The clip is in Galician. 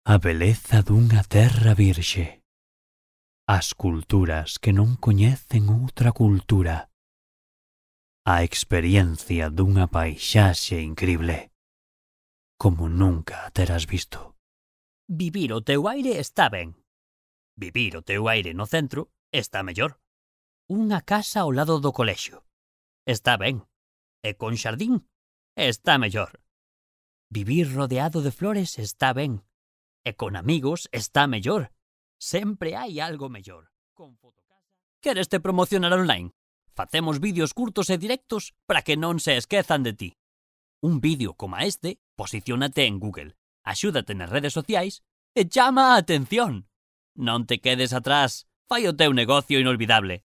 A beleza dunha terra virxe. As culturas que non coñecen outra cultura. A experiencia dunha paisaxe incrible, como nunca a terás visto. Vivir o teu aire está ben. Vivir o teu aire no centro está mellor. Unha casa ao lado do colexio está ben. E con xardín está mellor. Vivir rodeado de flores está ben. E con amigos está mellor. Sempre hai algo mellor. Con Fotocasa... Queres te promocionar online? Facemos vídeos curtos e directos para que non se esquezan de ti. Un vídeo como este, posiciónate en Google, axúdate nas redes sociais e chama a atención. Non te quedes atrás, fai o teu negocio inolvidable.